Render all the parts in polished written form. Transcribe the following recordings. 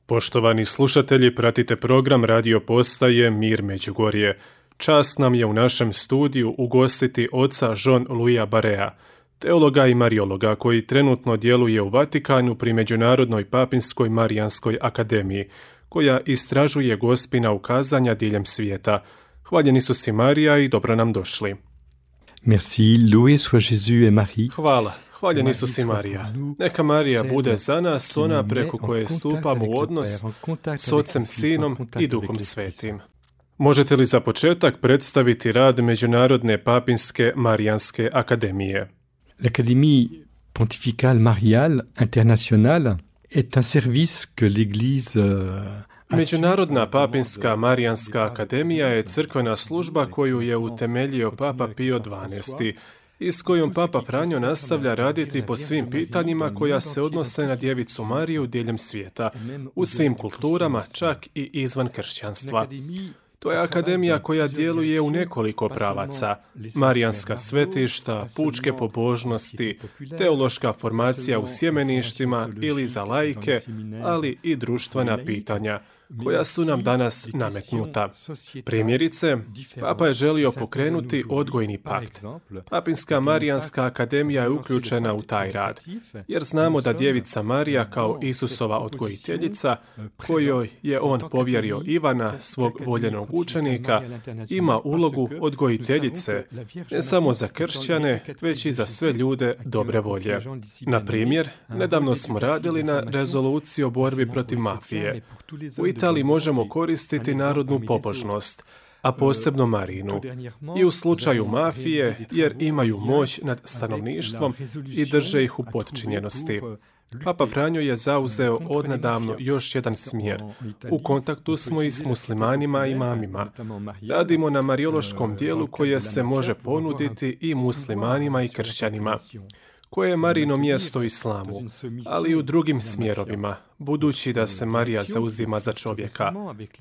Poštovani slušatelji, pratite program radio postaje Mir Međugorje. Čast nam je u našem studiju ugostiti oca Jean-Louisa Barrea, teologa i mariologa koji trenutno djeluje u Vatikanu pri Međunarodnoj papinskoj Marijanskoj akademiji, koja istražuje gospina ukazanja diljem svijeta. Hvaljeni su si Marija i dobro nam došli. Merci, loué soit Jésus et Marie. Hvala. Hvaljeni su si Marija. Neka Marija bude za nas ona preko koje stupamo u odnos s Ocem, Sinom i Duhom Svetim. Možete li za početak predstaviti rad Međunarodne papinske Marijanske akademije? L'Académie pontificale mariale internationale est un service que l'Église Međunarodna papinska Marijanska akademija je crkvena služba koju je utemeljio Papa Pio XII i s kojom Papa Franjo nastavlja raditi po svim pitanjima koja se odnose na Djevicu Mariju diljem svijeta, u svim kulturama, čak i izvan kršćanstva. To je akademija koja djeluje u nekoliko pravaca: marijanska svetišta, pučke pobožnosti, teološka formacija u sjemeništima ili za laike, ali i društvena pitanja, koja su nam danas nametnuta. Primjerice, Papa je želio pokrenuti odgojni pakt. Papinska Marijanska akademija je uključena u taj rad, jer znamo da Djevica Marija kao Isusova odgojiteljica, kojoj je on povjerio Ivana, svog voljenog učenika, ima ulogu odgojiteljice, ne samo za kršćane, već i za sve ljude dobre volje. Na primjer, nedavno smo radili na rezoluciji o borbi protiv mafije. U Italiji možemo koristiti narodnu pobožnost, a posebno Marinu, i u slučaju mafije, jer imaju moć nad stanovništvom i drže ih u potčinjenosti. Papa Franjo je zauzeo odnedavno još jedan smjer. U kontaktu smo i s muslimanima i imamima. Radimo na mariološkom dijelu koje se može ponuditi i muslimanima i kršćanima, koje je Marino mjesto islamu, ali i u drugim smjerovima, budući da se Marija zauzima za čovjeka.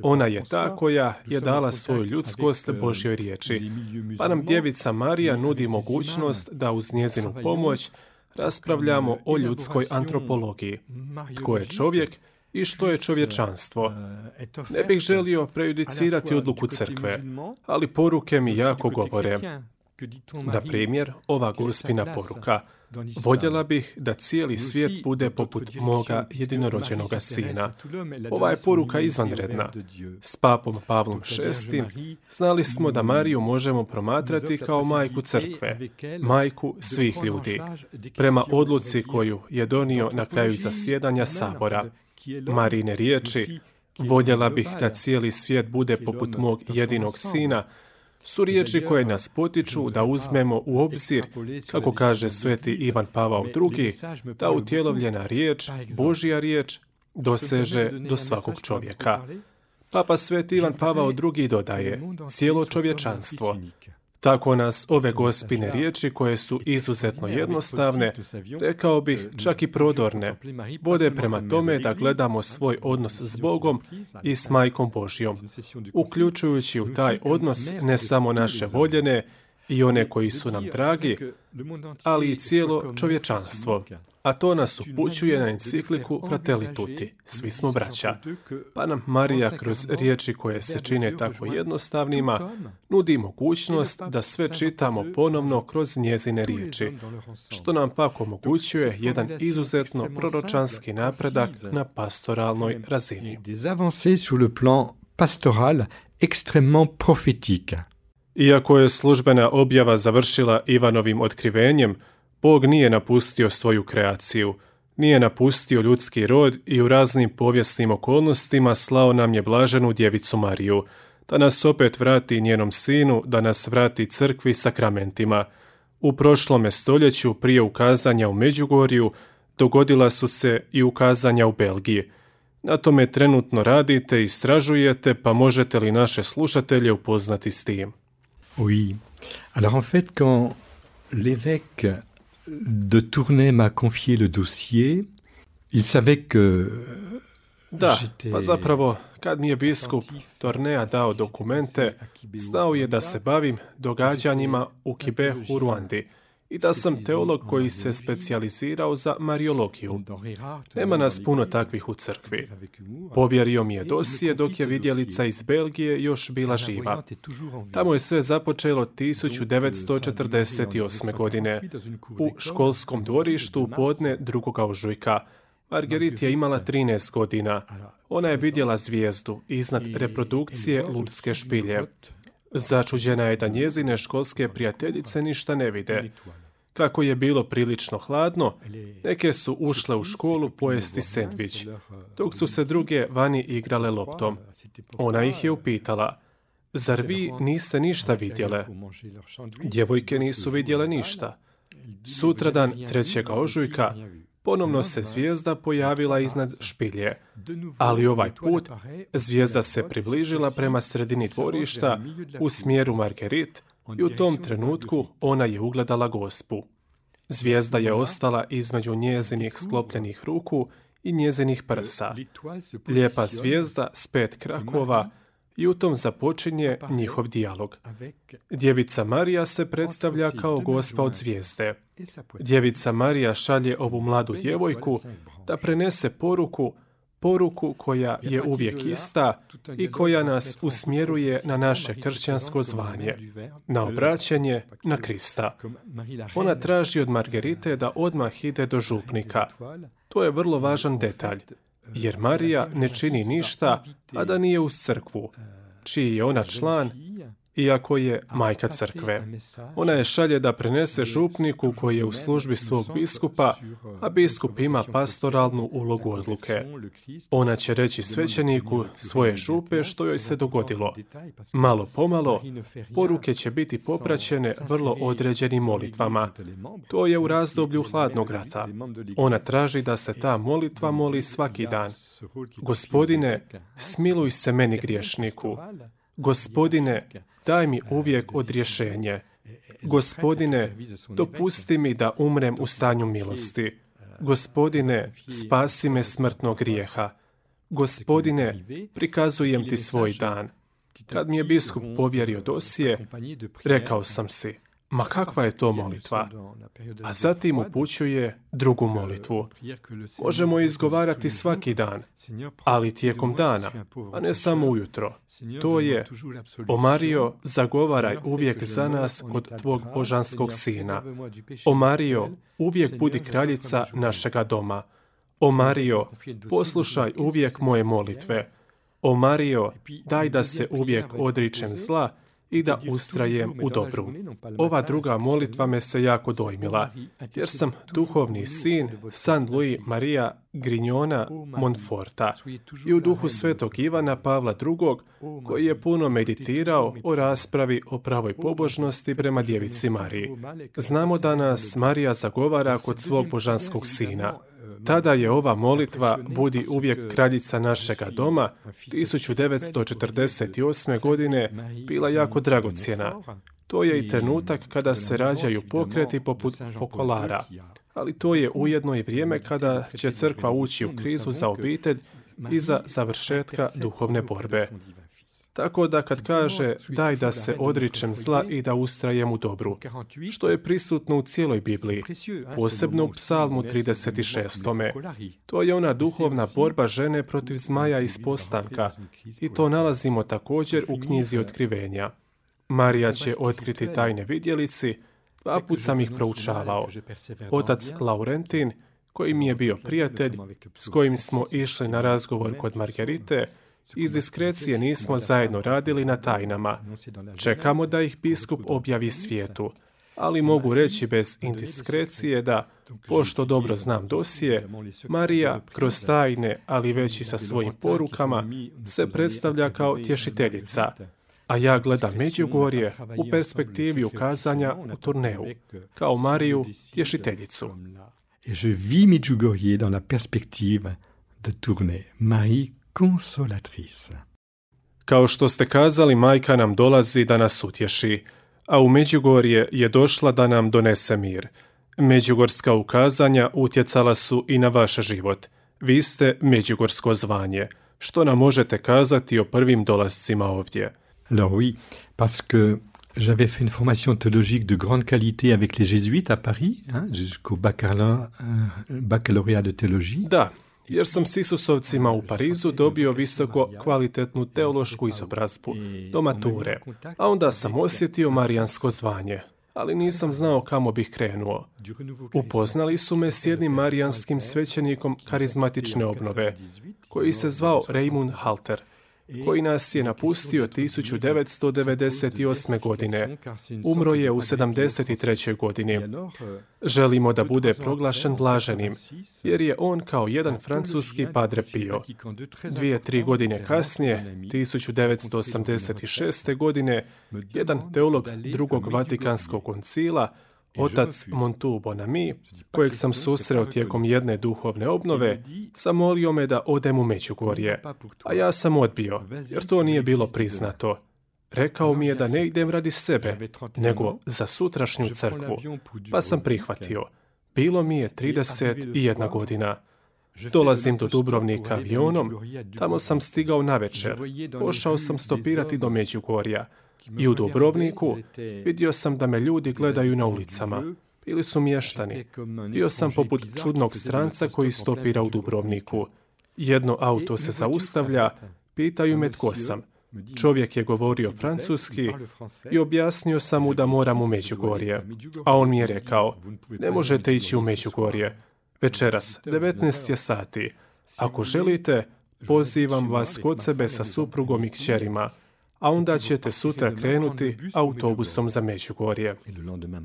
Ona je ta koja je dala svoju ljudskost Božjoj riječi, pa nam Djevica Marija nudi mogućnost da uz njezinu pomoć raspravljamo o ljudskoj antropologiji. Tko je čovjek i što je čovječanstvo? Ne bih želio prejudicirati odluku crkve, ali poruke mi jako govore. Na primjer, ova gospina poruka: voljela bih da cijeli svijet bude poput moga jedinorođenoga sina. Ova je poruka izvanredna. S papom Pavlom VI znali smo da Mariju možemo promatrati kao majku crkve, majku svih ljudi, prema odluci koju je donio na kraju zasjedanja sabora. Marijine riječi: voljela bih da cijeli svijet bude poput mog jedinog sina, su riječi koje nas potiču da uzmemo u obzir, kako kaže sveti Ivan Pavao II, da utjelovljena riječ, Božja riječ, doseže do svakog čovjeka. Papa sveti Ivan Pavao II dodaje: cijelo čovječanstvo. Tako nas ove gospine riječi, koje su izuzetno jednostavne, rekao bih čak i prodorne, vode prema tome da gledamo svoj odnos s Bogom i s Majkom Božjom, uključujući u taj odnos ne samo naše voljene i one koji su nam dragi, ali i cijelo čovječanstvo. A to nas upućuje na encikliku Fratelli Tutti, svi smo braća. Pa nam Marija kroz riječi koje se čine tako jednostavnima nudi mogućnost da sve čitamo ponovno kroz njezine riječi, što nam pak omogućuje jedan izuzetno proročanski napredak na pastoralnoj razini. des avancées sur le plan pastoral extrêmement prophétique. Iako je službena objava završila Ivanovim otkrivenjem, Bog nije napustio svoju kreaciju, nije napustio ljudski rod i u raznim povijesnim okolnostima slao nam je blaženu Djevicu Mariju, da nas opet vrati njenom sinu, da nas vrati crkvi sakramentima. U prošlome stoljeću, prije ukazanja u Međugorju, dogodila su se i ukazanja u Belgiji. Na tome trenutno radite i istražujete, pa možete li naše slušatelje upoznati s tim? Oui. Alors en fait, quand l'évêque de Tournai m'a confié le dossier, il savait que Da, pa zapravo, kad mi je biskup Tornea dao dokumente, znao je da se bavim događanjima u Kibehu u Ruandi i da sam teolog koji se specijalizirao za mariologiju. Nema nas puno takvih u crkvi. Povjerio mi je dosije dok je vidjelica iz Belgije još bila živa. Tamo je sve započelo 1948. godine u školskom dvorištu u podne 2. ožujka. Marguerite je imala 13 godina. Ona je vidjela zvijezdu iznad reprodukcije Lurdske špilje. Začuđena je da njezine školske prijateljice ništa ne vide. Kako je bilo prilično hladno, neke su ušle u školu pojesti sendvič, dok su se druge vani igrale loptom. Ona ih je upitala: zar vi niste ništa vidjele? Djevojke nisu vidjele ništa. Sutradan 3. ožujka ponovno se zvijezda pojavila iznad špilje, ali ovaj put zvijezda se približila prema sredini dvorišta u smjeru Marguerite i u tom trenutku ona je ugledala Gospu. Zvijezda je ostala između njezinih sklopljenih ruku i njezinih prsa. Lijepa zvijezda s 5 krakova i u tom započinje njihov dijalog. Djevica Marija se predstavlja kao Gospa od zvijezde. Djevica Marija šalje ovu mladu djevojku da prenese poruku koja je uvijek ista i koja nas usmjeruje na naše kršćansko zvanje, na obraćanje na Krista. Ona traži od Marguerite da odmah ide do župnika. To je vrlo važan detalj, jer Marija ne čini ništa, a da nije uz crkvu, čiji je ona član, iako je majka crkve. Ona je šalje da prenese župniku koji je u službi svog biskupa, a biskup ima pastoralnu ulogu odluke. Ona će reći svećeniku svoje župe što joj se dogodilo. Malo pomalo, poruke će biti popraćene vrlo određenim molitvama. To je u razdoblju hladnog rata. Ona traži da se ta molitva moli svaki dan. Gospodine, smiluj se meni griješniku. Gospodine, daj mi uvijek odrješenje. Gospodine, dopusti mi da umrem u stanju milosti. Gospodine, spasi me smrtnog grijeha. Gospodine, prikazujem ti svoj dan. Kad mi je biskup povjerio dosije, rekao sam si: ma kakva je to molitva? A zatim upućuje drugu molitvu. Možemo izgovarati svaki dan, ali tijekom dana, a ne samo ujutro. To je: o Marijo, zagovaraj uvijek za nas kod tvog božanskog sina. O Marijo, uvijek budi kraljica našega doma. O Marijo, poslušaj uvijek moje molitve. O Marijo, daj da se uvijek odričem zla i da ustrajem u dobru. Ova druga molitva me se jako dojmila, jer sam duhovni sin San Luis Maria Grignona Montforta i u duhu svetog Ivana Pavla II, koji je puno meditirao o raspravi o pravoj pobožnosti prema djevici Mariji. Znamo da nas Marija zagovara kod svog božanskog sina. Tada je ova molitva Budi uvijek kraljica našega doma 1948. godine bila jako dragocjena. To je i trenutak kada se rađaju pokreti poput Fokolara, ali to je ujedno i vrijeme kada će crkva ući u krizu za obitelj i za završetka duhovne borbe. Tako da kad kaže daj da se odričem zla i da ustrajem u dobru, što je prisutno u cijeloj Bibliji, posebno u Psalmu 36. To je ona duhovna borba žene protiv zmaja iz postanka i to nalazimo također u knjizi Otkrivenja. Marija će otkriti tajne vidjelici, 2 put sam ih proučavao. Otac Laurentin, koji mi je bio prijatelj, s kojim smo išli na razgovor kod Marguerite, iz diskrecije nismo zajedno radili na tajnama. Čekamo da ih biskup objavi svijetu, ali mogu reći bez indiskrecije da, pošto dobro znam dosije, Marija kroz tajne, ali već i sa svojim porukama, se predstavlja kao tješiteljica, a ja gledam Međugorje u perspektivi ukazanja u Tourneu, kao Mariju tješiteljicu. Et je vis Medjugorje dans la perspective de Tournai, Marie consolatrice. Kao što ste kazali, majka nam dolazi da nas utješi, a u Međugorje je došla da nam donese mir. Međugorska ukazanja utjecala su i na vaš život. Vi ste međugorsko zvanje. Što nam možete kazati o prvim dolascima ovdje? Alors oui, parce que J'avais fait une formation théologique de grande qualité avec les jésuites à Paris, jusqu'au baccalauréat de théologie. Da, jer sam s Isusovcima u Parizu dobio visoko kvalitetnu teološku izobrazbu do mature, a onda sam osjetio marijansko zvanje, ali nisam znao kamo bih krenuo. Upoznali su me s jednim marijanskim svećenikom karizmatične obnove, koji se zvao Raymond Halter, koji nas je napustio 1998. godine. Umro je u 73. godini. Želimo da bude proglašen blaženim, jer je on kao jedan francuski Padre Pio. 2-3 godine kasnije, 1986. godine, jedan teolog drugog Vatikanskog koncila, otac Montu Bonami, kojeg sam susreo tijekom jedne duhovne obnove, zamolio me da odem u Međugorje, a ja sam odbio, jer to nije bilo priznato. Rekao mi je da ne idem radi sebe, nego za sutrašnju crkvu, pa sam prihvatio. Bilo mi je 31 godina. Dolazim do Dubrovnika avionom, tamo sam stigao navečer, pošao sam stopirati do Međugorja. I u Dubrovniku vidio sam da me ljudi gledaju na ulicama. Bili su mještani. Bio sam poput čudnog stranca koji stopira u Dubrovniku. Jedno auto se zaustavlja, pitaju me tko sam. Čovjek je govorio francuski i objasnio sam mu da moram u Međugorje. A on mi je rekao, ne možete ići u Međugorje. Večeras, 19 je sati. Ako želite, pozivam vas kod sebe sa suprugom i kćerima, a onda ćete sutra krenuti autobusom za Međugorje.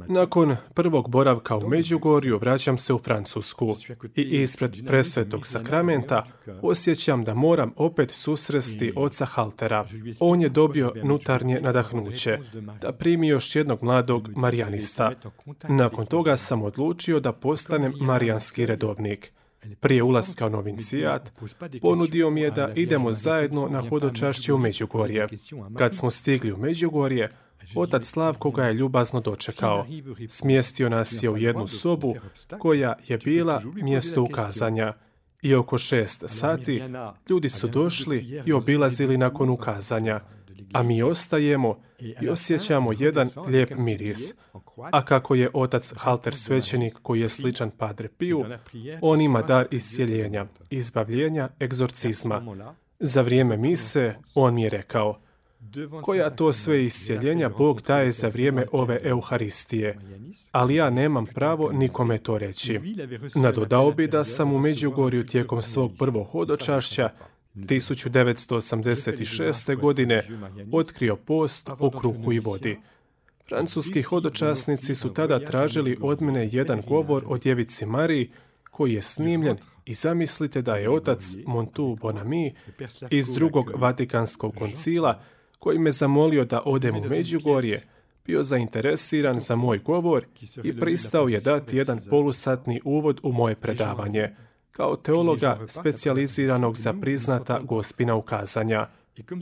Nakon prvog boravka u Međugorju vraćam se u Francusku i ispred presvetog sakramenta osjećam da moram opet susresti oca Haltera. On je dobio nutarnje nadahnuće da primi još jednog mladog marijanista. Nakon toga sam odlučio da postanem marijanski redovnik. Prije ulaska u novincijat, ponudio mi je da idemo zajedno na hodočašće u Međugorje. Kad smo stigli u Međugorje, otac Slavko ga je ljubazno dočekao. Smjestio nas je u jednu sobu koja je bila mjesto ukazanja. I oko 6 sati ljudi su došli i obilazili nakon ukazanja, a mi ostajemo i osjećamo jedan lijep miris. A kako je otac Halter svećenik koji je sličan Padre Piju, on ima dar iscjeljenja, izbavljenja, egzorcizma. Za vrijeme mise on mi je rekao, koja to sve iscjeljenja Bog daje za vrijeme ove Euharistije, ali ja nemam pravo nikome to reći. Nadodao bi da sam u Međugorju tijekom svog prvog hodočašća 1986. godine otkrio post o kruhu i vodi. Francuski hodočasnici su tada tražili od mene jedan govor o djevici Mariji koji je snimljen i zamislite da je otac Montu Bonami iz drugog Vatikanskog koncila koji me zamolio da odem u Međugorje, bio zainteresiran za moj govor i pristao je dati jedan polusatni uvod u moje predavanje, kao teologa specijaliziranog za priznata gospina ukazanja.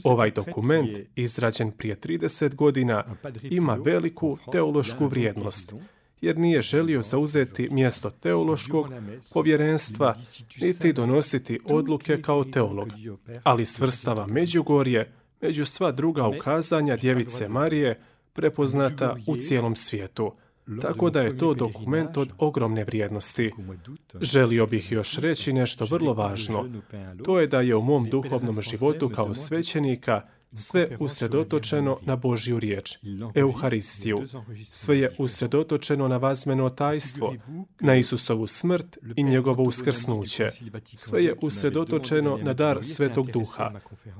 Ovaj dokument, izrađen prije 30 godina, ima veliku teološku vrijednost, jer nije želio zauzeti mjesto teološkog povjerenstva, niti donositi odluke kao teolog, ali svrstava Međugorje među sva druga ukazanja djevice Marije, prepoznata u cijelom svijetu. Tako da je to dokument od ogromne vrijednosti. Želio bih još reći nešto vrlo važno. To je da je u mom duhovnom životu kao svećenika sve usredotočeno na Božju riječ, Euharistiju. Sve je usredotočeno na vazmeno tajstvo, na Isusovu smrt i njegovo uskrsnuće. Sve je usredotočeno na dar Svetog Duha.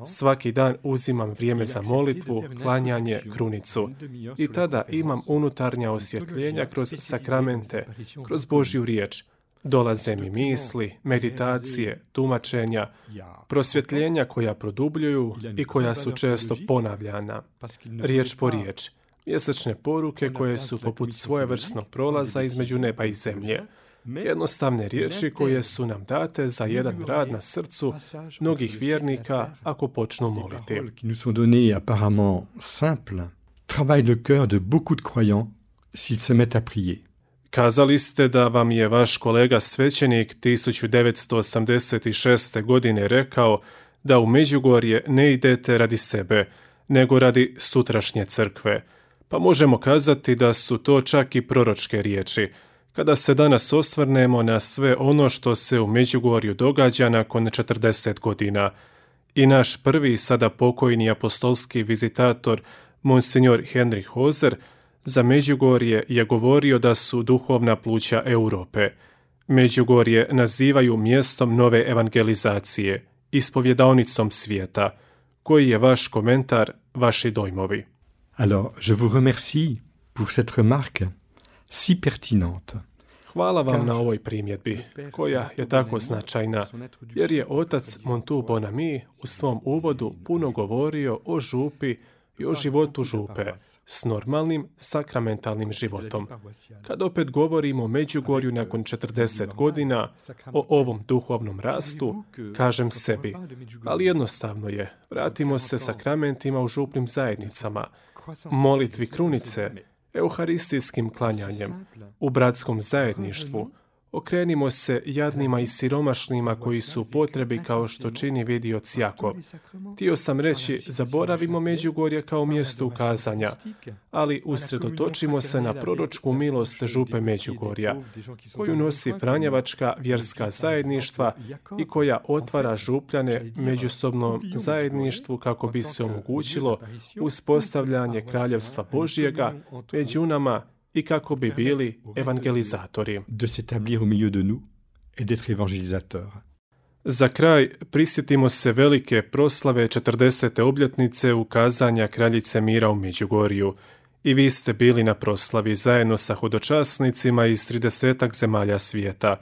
Svaki dan uzimam vrijeme za molitvu, klanjanje, krunicu. I tada imam unutarnja osvjetljenja kroz sakramente, kroz Božju riječ. Dolaze mi misli, meditacije, tumačenja, prosvjetljenja koja produbljuju i koja su često ponavljana, riječ po riječ, mjesečne poruke koje su poput svojevrsnog prolaza između neba i zemlje, jednostavne riječi koje su nam date za jedan rad na srcu mnogih vjernika ako počnu moliti. Kazali ste da vam je vaš kolega svećenik 1986. godine rekao da u Međugorje ne idete radi sebe, nego radi sutrašnje crkve. pa možemo kazati da su to čak i proročke riječi, kada se danas osvrnemo na sve ono što se u Međugorju događa nakon 40 godina. I naš prvi, sada pokojni apostolski vizitator, Monsignor Henry Hoser, za Međugorje je govorio da su duhovna pluća Europe. Međugorje nazivaju mjestom nove evangelizacije, ispovjedaonicom svijeta. Koji je vaš komentar, vaši dojmovi? Alors, je vous remercie pour cette remarque si pertinente. Hvala vam na ovoj primjedbi, koja je tako značajna, jer je otac Montu Bonami u svom uvodu puno govorio o župi i o životu župe s normalnim sakramentalnim životom. Kad opet govorimo o Međugorju nakon 40 godina, o ovom duhovnom rastu, kažem sebi, ali jednostavno je, vratimo se sakramentima u župnim zajednicama, molitvi krunice, euharistijskim klanjanjem, u bratskom zajedništvu. Okrenimo se jadnima i siromašnima koji su u potrebi kao što čini vidioc Jakov. Htio sam reći, zaboravimo Međugorje kao mjesto ukazanja, ali usredotočimo se na proročku milost župe Međugorja, koju nosi Franjevačka vjerska zajedništva i koja otvara župljane međusobnom zajedništvu kako bi se omogućilo uspostavljanje kraljevstva Božjega među nama i kako bi bili evangelizatori. De s'établir au milieu de nous et d'être évangélisateurs. Za kraj, prisjetimo se velike proslave 40. obljetnice ukazanja kraljice mira u Međugorju. I vi ste bili na proslavi zajedno sa hodočasnicima iz 30 zemalja svijeta.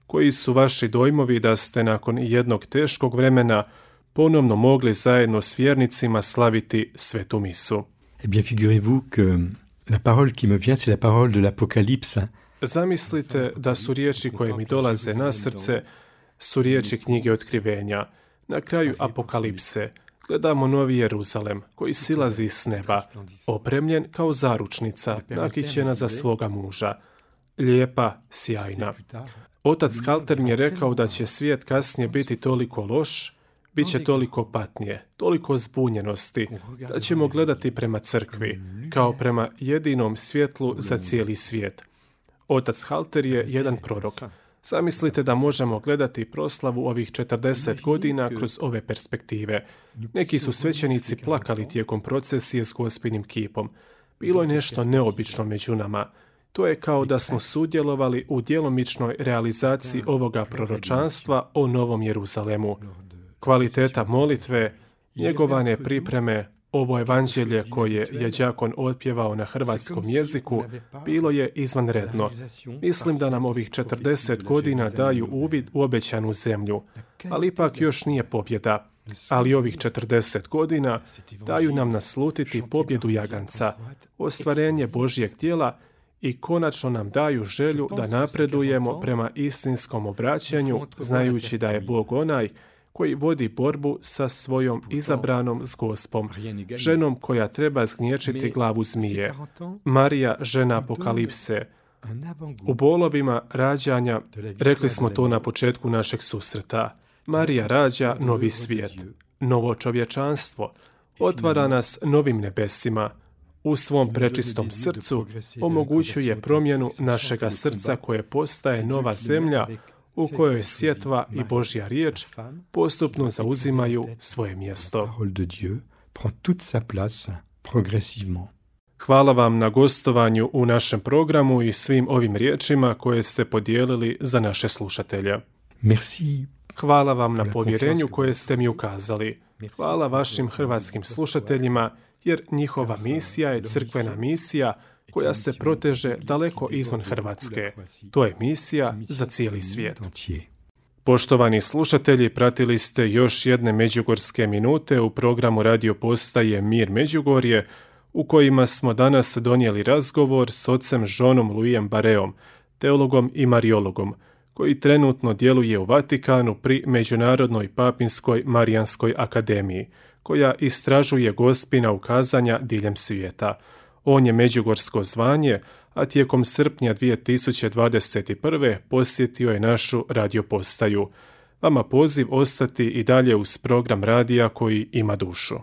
Koji su vaši dojmovi da ste nakon jednog teškog vremena ponovno mogli zajedno s vjernicima slaviti svetu misu? Eh bien, figurez-vous que la parole qui me vient, c'est la parole de l'Apocalypse. Zamislite da su riječi koje mi dolaze na srce, su riječi knjige Otkrivenja. Na kraju Apokalipse gledamo Novi Jeruzalem koji silazi s neba, opremljen kao zaručnica, nakićena za svoga muža. Lijepa, sjajna. Otac Halter mi je rekao da će svijet kasnije biti toliko loš, bit će toliko patnje, toliko zbunjenosti, da ćemo gledati prema crkvi, kao prema jedinom svjetlu za cijeli svijet. Otac Halter je jedan prorok. Zamislite da možemo gledati proslavu ovih 40 godina kroz ove perspektive. Neki su svećenici plakali tijekom procesije s Gospinim kipom. Bilo je nešto neobično među nama. To je kao da smo sudjelovali u djelomičnoj realizaciji ovoga proročanstva o Novom Jeruzalemu. Kvaliteta molitve, njegovane pripreme, ovo evanđelje koje je đakon otpjevao na hrvatskom jeziku, bilo je izvanredno. Mislim da nam ovih 40 godina daju uvid u obećanu zemlju, ali ipak još nije pobjeda. Ali ovih 40 godina daju nam naslutiti pobjedu jaganca, ostvarenje Božjeg djela i konačno nam daju želju da napredujemo prema istinskom obraćanju, znajući da je Bog onaj koji vodi borbu sa svojom izabranom s Gospom, ženom koja treba zgnječiti glavu zmije. Marija, žena Apokalipse. U bolovima rađanja, rekli smo to na početku našeg susreta, Marija rađa novi svijet, novo čovječanstvo, otvara nas novim nebesima. U svom prečistom srcu omogućuje promjenu našega srca koje postaje nova zemlja u kojoj sjetva i Božja riječ postupno zauzimaju svoje mjesto. Hvala vam na gostovanju u našem programu i svim ovim riječima koje ste podijelili za naše slušatelje. Hvala vam na povjerenju koje ste mi ukazali. Hvala vašim hrvatskim slušateljima, jer njihova misija je crkvena misija koja se proteže daleko izvan Hrvatske. To je misija za cijeli svijet. Poštovani slušatelji, pratili ste još jedne međugorske minute u programu radio postaje Mir Međugorje, u kojima smo danas donijeli razgovor s ocem Jeanom Louisom Barreom, teologom i mariologom, koji trenutno djeluje u Vatikanu pri Međunarodnoj papinskoj Marijanskoj akademiji, koja istražuje Gospina ukazanja diljem svijeta. On je međugorsko zvanje, a tijekom srpnja 2021. posjetio je našu radiopostaju. Vama poziv ostati i dalje uz program radija koji ima dušu.